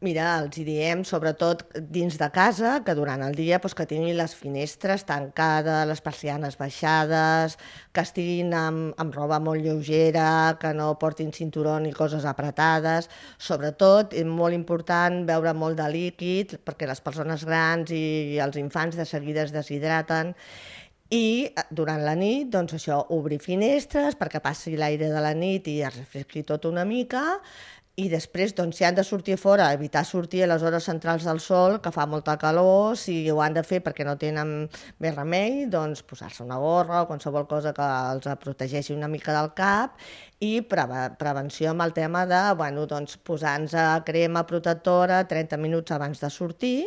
Mira, els hi diem, sobretot dins de casa, que durant el dia doncs, que tinguin les finestres tancades, les persianes baixades, que estiguin amb roba molt lleugera, que no portin cinturó ni coses apretades. Sobretot, és molt important beure molt de líquid, perquè les persones grans i els infants de seguida es deshidraten. I durant la nit, doncs això, obrir finestres perquè passi l'aire de la nit i es refresqui tot una mica, i després, doncs, si han de sortir a fora, evitar sortir a les hores centrals del sol, que fa molta calor, si ho han de fer perquè no tenen més remei, doncs posar-se una gorra o qualsevol cosa que els protegeixi una mica del cap, i prevenció amb el tema de, bueno, doncs, posar-nos crema protectora 30 minuts abans de sortir,